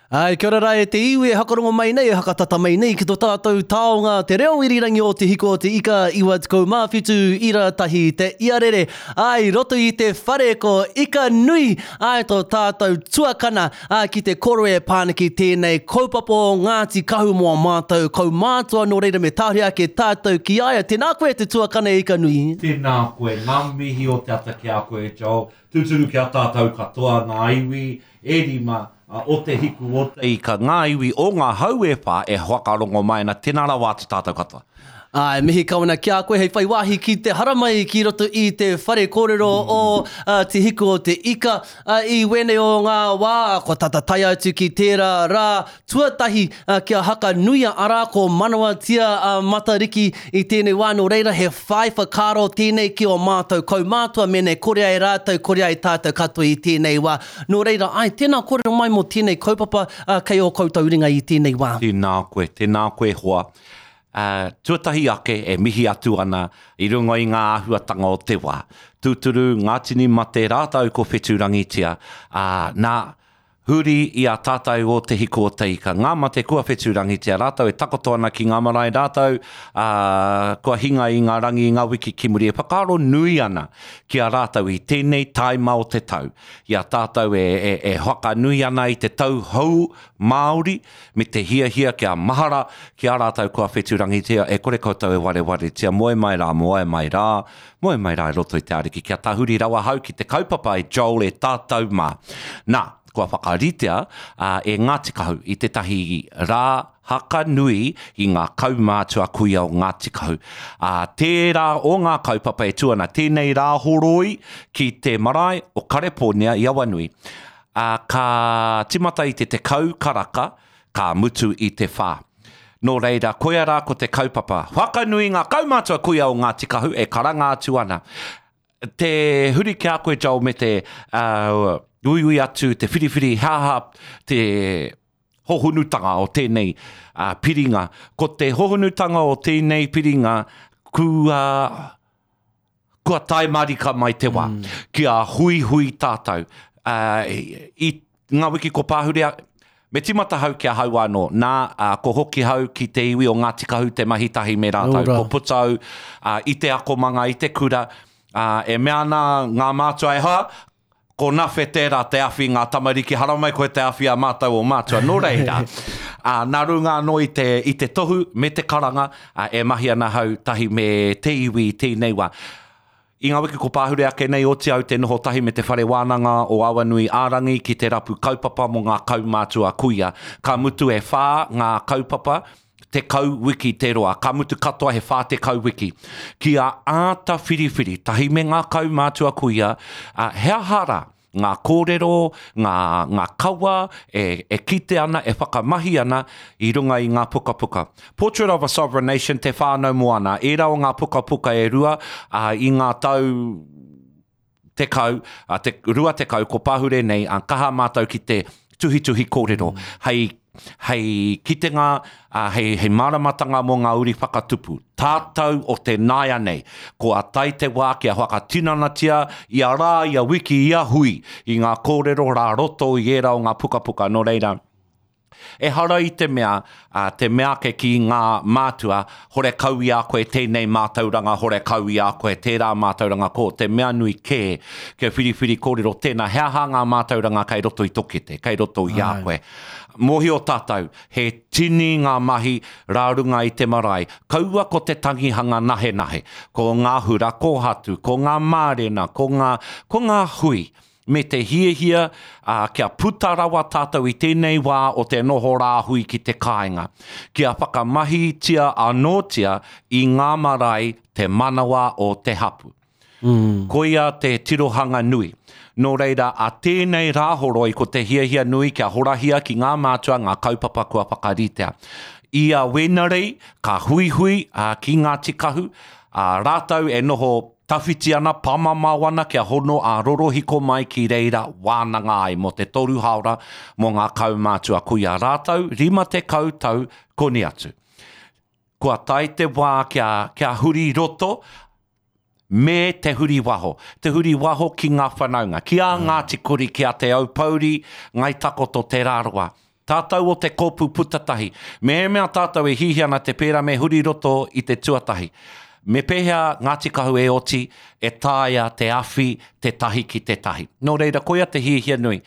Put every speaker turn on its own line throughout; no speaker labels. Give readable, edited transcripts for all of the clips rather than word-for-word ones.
Āe, kia ora rā e te iwi e hakarongo mai nei, e hakatata mai nei ki to tātou taonga te reo irirangi o Te Hiko o Te Ika 97 ira tahi te iarere. Āe, i roto i te whare ko Ika Nui, āe to tātou tuakana, ā, ki te koro e pā ana ki tēnei kaupapa o Ngāti Kahu mō a mātou kaumātua, nō reira me tahuri ake tātou ki a ia. Tēnā koe e te tuakana e Ika Nui.
Tēnā koe, ngā mihi o te ata ki a koe Joel. Tūturu ki a tātou katoa ngā iwi e rima o Te Hiku o Te Ika, ngā iwi o ngā hau e whā e whakarongo mai ana, tēnā rawa atu tātou katoa.
Āe, mihi kau ana ki a koe hei whai wāhi ki te haramai ki roto i te whare kōrero o Te Hiku o Te Ika. I wēnei o ngā wā, kua tata tae atu ki tērā rā tuatahi kia haka nuia, arā ko Manawatia a Matariki i tēnei wā, nō reira he whai whakaaro tēnei ki ō mātou kaumātua mēnei kore ai rātou, kore ai tātou katoa i tēnei wā. Nō reira, āe, tēnā kōrero mai mō tēnei kaupapa kei ō koutou ringa i tēnei wā.
Tēnā koe, tēnā koe hoa. Tuatahi ake e mihi atu ana i runga i ngā āhuatanga o te wā. Tūturu, ngā tini mate rātou ko whetūrangitia, ā, nā, huri i a tātou o Te Hiku o Te Ika, ngā mate kua whetūrangitia rātou e takoto ana ki ngā marae rātou, ā, kua hinga i ngā rangi i ngā wiki ki muri e whakaaro nui ana ki a rātou i tēnei taima o te tau, i a tātou e, e, e whakanui ana i te tau hou Māori me te hiahia kia mahara ki a rātou kua whetūrangitia, e kore koutou e warewaretia, moe mai rā, moe mai rā, moe mai rā i roto i te Ariki, kia tahuri rawa hau ki te kaupapa e Joel e tātou mā. Nā, kua whakaritea e Ngāti Kahu i tētahi rā haka nui i ngā kaumātua kuia o Ngāti Kahu. Ā, tērā o ngā kaupapa e tū ana tēnei Rāhoroi ki te marae o Karepōnia i Awanui. Ā, ka tīmata i te 10 karaka, ka mutu i te whā. Nō reira, koia rā ko te kaupapa. Whakanui ngā kaumātua kuia o Ngāti Kahu e karanga atu ana. Te huri ki a koe, Joel, me te uh, uiui atu, te whiriwhiri, he aha te hohonutanga o tēnei uh, piringa. Ko te hohonutanga o tēnei piringa, kua Kua tae marika mai te wā kia huihui tātou i ngā wiki ko pāhurea, me tīmata hau ki ahau anō, nā, ko hoki hau ki te iwi o Ngāti Kahu te mahi tahi me rātou, ko puta au i te akomanga, i te kura, e mea ana ngā mātua e hoa, Ko Nawhe tērā te awhi ngā tamariki, haramai koe te awhi a mātou o mātua. Nō reira, ā, nā runga anō i te, i te tohu me te karanga, ā, e mahi ana hau tahi me te iwi i tēnei wā. I ngā wiki ko pāhure ake nei, oti au te noho tahi me te Whare Wānanga o Awanui ā-Rangi ki te rapu kaupapa mō ngā kaumātua kuia. Ka mutu e whā ngā kaupapa, 10 wiki te roa, ka mutu katoa he 40 wiki. Kia āta whiriwhiri tahi me ngā kaumātua kuia, ā, he aha rā ngā kōrero, ngā, ngā kawa e, e kite ana, e whakamahi ana i runga i ngā pukapuka. Portrait of a Sovereign Nation, Te Whānau Moana, ērā o ngā pukapuka e rua, ā, i ngā tau tekau, a te 20 ko pahure nei, a kaha mātou ki te tuhituhi kōrero, hei, hei kitenga, a, hei, hei māramatanga mō ngā uri whakatupu. Tātou o te nāianei, kua tae te wā kia whakatinanatia ia rā, ia wiki, ia hui i ngā kōrero rā roto i ērā o ngā pukapuka. Nō reira, Ehara i te mea, ā, te mea ake ki ngā mātua, horekau i a koe tēnei mātauranga, horekau i a koe tērā mātauranga, ko te mea nui kē, kia whiriwhiri kōrero tēnā, he aha ngā mātauranga kei roto i tō kete, kei roto i a koe. Mōhio tātou, he tini ngā mahi rā runga i te marae, kaua ko te tangihanga nahenahe, ko ngā hura kōhatu, ko ngā mārena, ko ngā, ko ngā hui, me te hiahia, ā, kia puta rawa tātou i tēnei wā o te noho rāhui ki te kāinga, kia whakamahitia anōtia i ngā marae te manawa o te hapu. Koia te tirohanga nui. Nō reira, a tēnei Rāhoroi ko te hiahia nui kia horahia ki ngā mātua ngā kaupapa kua whakaritea. I a Wēnarei ka huihui ki Ngāti Kahu, ā, rātou e noho Tawhiti ana, pāmamao ana kia hono ā-rorohiko mai ki reira wānanga ai mō te toru haora mō ngā kaumātua kuia rātou 50 tau koni atu. Kua tae te wā kia, kia huri roto me te huri waho. Te huri waho ki ngā whanaunga, ki a Ngāti Kuri, ki a Te Aupōuri, Ngāi Takoto, Te Rarawa. Tātou o te kōpū putatahi, mehemea tātou e hihia ana te pērā me huri roto i te tuatahi. Me pēhea Ngāti Kahu e oti, e taea te awhi te tahi ki te tahi. Nō reira, koia te hiahia nui.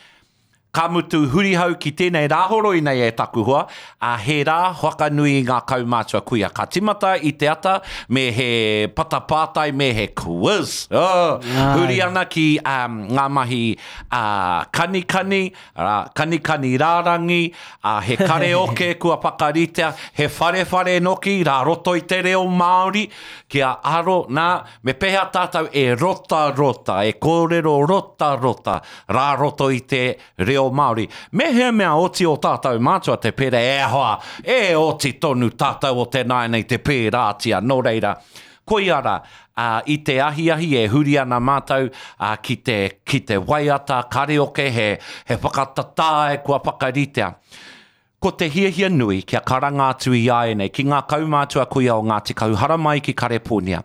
Ka mutu hurihau ki tēnei rāhoroi nei e taku hoa, ā, he rā whakanui i ngā kaumātua kuia. Ka timata i te ata me he patapātai me he quiz. Oh, huri ana ki um, ngā mahi uh, kanikani, arā, kanikani rārangi, ā, he kareoke kua whakaritea, he wharewhare noki rā roto i te reo Māori, kia aro, nā, Me pēhea tātou e rotarota, e kōrero rotarota rā roto i te reo Māori? Mehemea oti ō tātou mātua te pērā, e hoa, e oti tonu tātou o te nāianei te pērātia, nō reira, koia rā, ā, i te ahiahi e huri ana mātou, ā, ki te, ki te waiata kareoke, he, he whakatatae kua whakaritea. Ko te hiahia nui kia karanga atu i āianei ki ngā kaumātua kuia o Ngāti Kahu haramai ki Kareponia.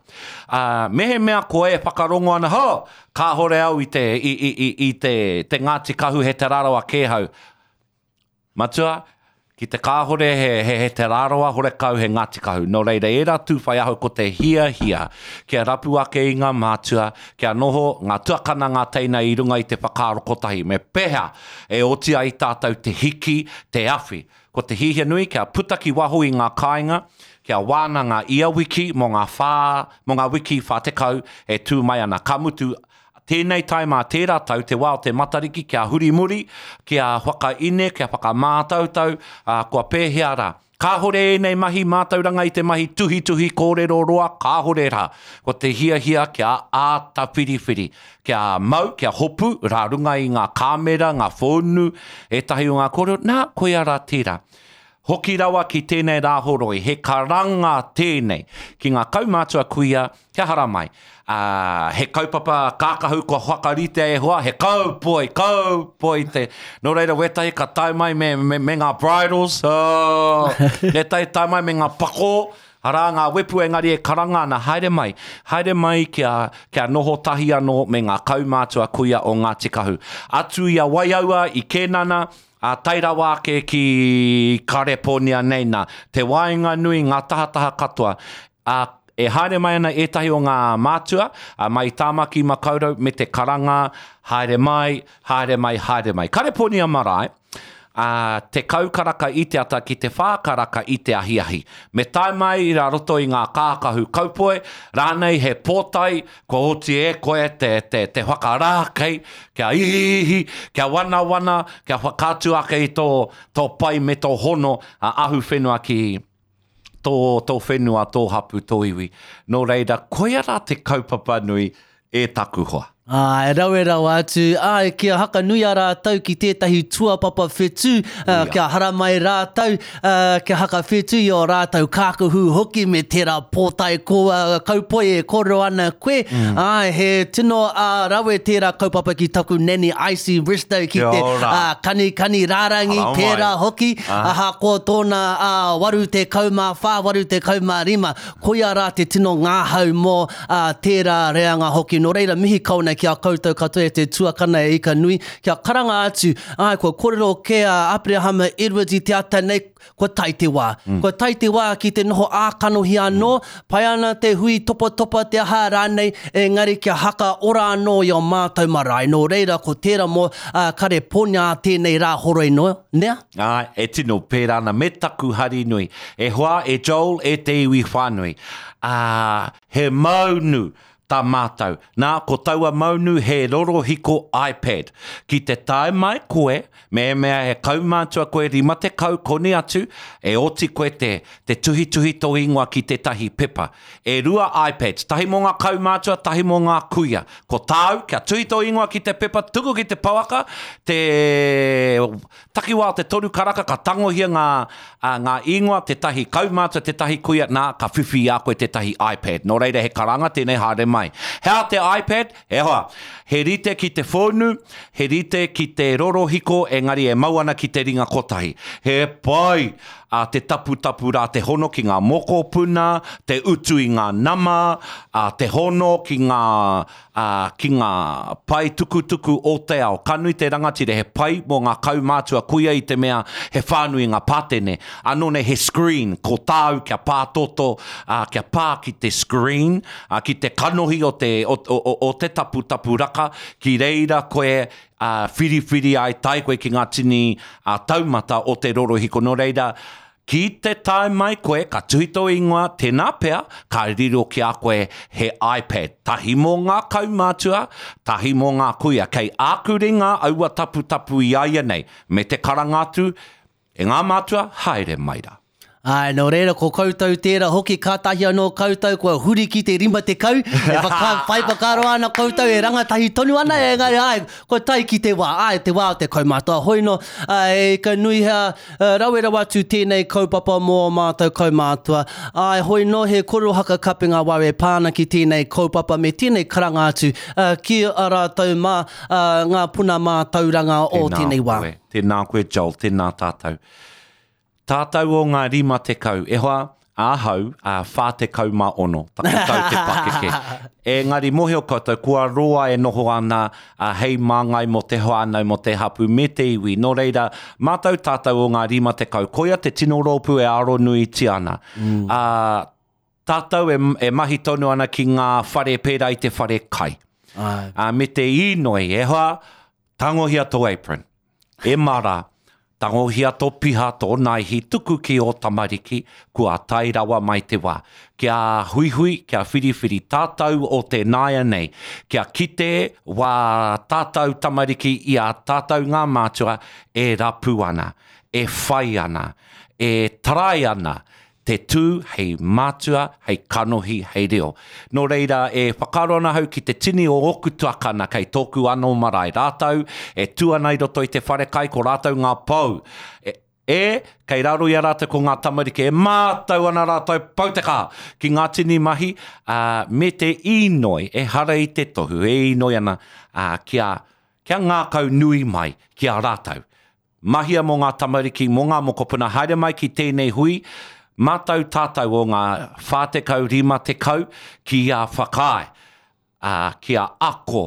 Ā, mehemea koe e whakarongo ana, ho! Kāhore au i te, i, i, i, i te, te Ngāti Kahu he Te Rarawa kē hau. Matua, ki te kāhore he, he, he Te Rarawa horekau he Ngāti Kahu. Nō reira, ērā tūwhai ahau ko te hiahia kia rapu ake i ngā mātua, kia noho ngā tuakana ngā teina i runga i te whakaaro kotahi. Me pēhea E oti ai tātou te hiki, te awhi. Ko te hiahia nui kia puta ki waho i ngā kāinga, kia wānanga ia wiki mō ngā whā, mō ngā wiki 40 e tū mai ana. Ka mutu, tēnei taima a tērā tau, te wā o te Matariki, kia huri muri, kia whakaine, kia whakamātautau, ā, kua pēhea rā. Kāhore ēnei mahi mātauranga i te mahi tuhituhi kōrero roa, kāhore rā. Ko te hiahia kia āta whiriwhiri, kia mau, kia hopu rā runga i ngā kāmera, ngā whōnu, ētahi o ngā kōrero, nā, koia rā tērā. Hoki rawa ki tēnei rāhoroi, he karanga tēnei ki ngā kaumātua kuia, Kia haramai. Ā, he kaupapa kākahu kua whakaritea e hoa, he kaupoi, kaupoi te. Nō reira, wētahi ka tae mai me, me, me ngā bridles, oh, wētahi tae mai me ngā pakō, arā ngā wepu engari e karanga ana, haere mai, haere mai kia, kia noho tahi anō me ngā kaumātua kuia o Ngāti Kahu. Atu i a Waiaua, i Kēnana, ā, tae rawa ake ki Kareponia nei nā, te waenganui, ngā tahataha katoa. Ā, e haere mai ana ētahi o ngā mātua, ā, mai i Tāmaki Makaurau me te karanga, Haere mai, haere mai, haere mai. Kareponia Marae, ā, 10 karaka i te ata ki te whā karaka i te ahiahi. Me tae mai rā roto i ngā kākahu kaupoe, rānei he pōtae kua oti e koe te, te, te whakarākei, kia ihiihi, kia wanawana, kia whakaatu ake i tō, tō pai me tō hono ā-ahuwhenua ki, tō, tō whenua, tō hapu, tō iwi. Nō reira, koia rā te kaupapa nui e taku hoa.
Āe, rawe rawa atu, āe, kia hakanuia rātou ki tētahi tuapapa whetū, kia haramai rātou, kia hakawhetū i ō rātou kākahu hoki me tērā pōtae ko, kaupoi e kōrero ana koe. Āe, he tino rawe tērā kaupapa ki taku nanny Icy Bristow ki te kanikani rārangi pērā hoki. Ahakoa tōna 84, 85, koia rā te tino ngahau mō tērā reanga hoki. Nō reira, mihi kau ana ki a koutou katoa e te tuakana e ika nui, kia karanga atu, āe, kua kōrero kē a Aperahama Edwards i te ata nei, kua tae te wā. Kua tae te wā ki te noho ā-kanohi anō, pai ana te hui topatopa te aha rānei, engari kia haka ora anō i ō mātou marae. Nō reira, ko tērā mō Kareponia ā tēnei rā horoi noa, nea?
Āe, e tino pērā ana me taku hari nui. E hoa, e Joel, e te iwi whānui. Ā, he maunu tā mātou. Nā, ko taua maunu he rorohiko iPad. Ki te tae mai koe, mehemea he kaumātua koe 50 koni atu, e oti koe te, te tuhituhi tō ingoa ki tētahi pepa. E rua iPads, tahi mō ngā kaumātua, tahi mō ngā kuia. Ko tāu, kia tuhi tō ingoa ki te pepa, tuku ki te pouaka, te takiwā o te toru karaka ka tangohia ngā, ā, ngā ingoa, tētahi kaumātua, tētahi kuia, nā, ka whiwhi i a koe tētahi iPad. Nō reira, he karanga tēnei haere mai. mai. He aha te iPad? E hoa, he rite ki te whonu, he rite ki te rorohiko engari e mau ana ki te ringa kotahi. He pai a te taputapu rā te hono ki ngā mokopuna, te utu i ngā nama, a te hono ki ngā, ā, ki ngā pae tukutuku o te ao. Ka nui te rangatira, he pai mō ngā kaumātua kuia i te mea he whānui ngā pātene. Anō nei he screen, ko tāu kia pātoto, ā, kia pā ki te screen, ā, ki te kanohi o te, o, o, o te taputapu raka, ki reira koe, ā, whiriwhiri ai, tae koe ki ngā tini, ā, taumata o te rorohiko. Nō reira, ki te tae mai koe, ka tuhi tō ingoa, tēnā pea, ka riro ki a koe he iPad. Tahi mō ngā kaumātua, tahi mō ngā kuia. Kei āku ringa aua taputapu i a ia nei, me te karanga atu, E ngā mātua, haere mai rā.
Āe, nō reira, ko koutou tērā hoki, kātahi anō koutou kua huri ki te 50, e whaka, whai whakaaro ana koutou e rangatahi tonu ana, engari āe, kua tae ki te wā, āe, te wā o te kaumātua. Hoi nō, āe, ka nui hea, rawe rawa atu tēnei kaupapa mō ō mātou kaumātua. Āe, hoi nō, he kōrero haka kapenga wau e pā ana ki tēnei kaupapa me tēnei karanga atu ki a rātou mā, ngā puna mātauranga o tēnei wā.
Tēnā koe, tēnā koe Joel, tēnā tātou. Tātou o ngā 50, e hoa, ahau, ā, 46, taku tau te pakeke. Engari mōhio koutou, kua roa e noho ana, ā, hei māngai mō te whānau, mō te hapū, me te iwi. Nō reira, mātou tātou o ngā 50, koia te tino rōpū e aronuitia ana. Ā, tātou e, e mahi tonu ana ki ngā whare pērā i te whare kai. Ā, me te īnoi, e hoa, tangohia tō apron. E mara, tangohia tō piha, tō naihi, tuku ki ō tamariki, kua tae rawa mai te wā. Kia huihui, kia whiriwhiri tātou o te nāianei, kia kite wā tātou tamariki i a tātou ngā mātua e rapu ana, e whai ana, e tarai ana, te tū hei mātua, hei kanohi, hei reo. Nō reira, e whakaaro ana ahau ki te tini o ōku tuakana kei tōku anō marae. Rātou e tū ana i roto i te wharekai, ko rātou ngā pou. E, e, kei raro i a rātou ko ngā tamariki e mātau ana rātou pau te kaha ki ngā tini mahi, ā, me te īnoi, ehara i te tohu, e īnoi ana, ā, kia, kia ngākau nui mai ki a rātou. Mahia mō ngā tamariki, mō ngā mokopuna, haere mai ki tēnei hui, mātau tātau o ngā 40, 50 ki a whakaae, ā, ki a ako,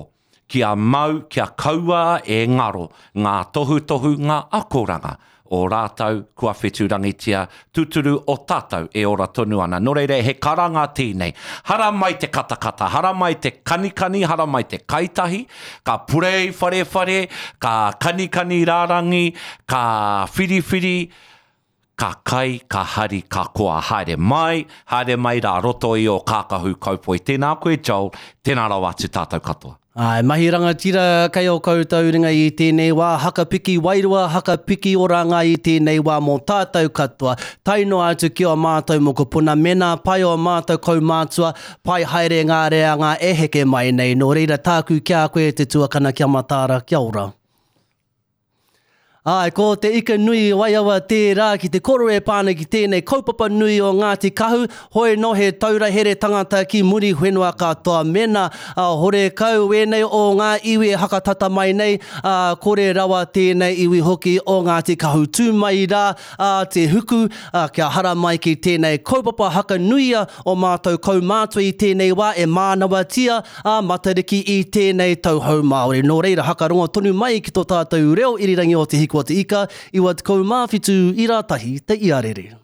ki a mau, kia kaua e ngaro ngā tohutohu, ngā akoranga o rātau kua whetūrangitia, tūturu o tātau e ora tonu ana. Nō reira, he karanga tēnei. Haramai te katakata, haramai te kanikani, haramai te kaitahi, ka purei wharewhare, ka kanikani rārangi, ka whiriwhiri, ka kai, ka hari, ka koa. Haere mai, haere mai rā roto i ō kākahu kaupoi. Tēnā koe Joel, tēnā rawa atu tātou katoa.
Āe, mahi rangatira kei ō koutou ringa i tēnei wā, haka piki wairua, haka piki oranga i tēnei wā mō tātou katoa, tae noa atu ki ō mātou mokopuna, mēnā pai ō mātou kaumātua, pai haere ngā reanga e heke mai nei, nō reira tāku ki a koe te tuakana kia mataara, kia ora. Āe, ko te ika nui i Waiawa tērā ki te koro e pā ana ki tēnei kaupapa nui o Ngāti Kahu, hoi nō he taura here tangata ki muri whenua katoa. Mēnā, ā, horekau wēnei o ngā iwi e hakatata mai nei, ā, kore rawa tēnei iwi hoki o Ngāti Kahu. Tū mai rā, ā, te huku, ā, kia hara mai ki tēnei kaupapa hakanuia o mātou kaumātua i tēnei wā e mānawatia a Matariki i tēnei tau hou Māori. Nō reira, hakarongo tonu mai ki tō tātou reo irirangi o Te Hiku o Te Ika, 97 i rā tahi te iarere.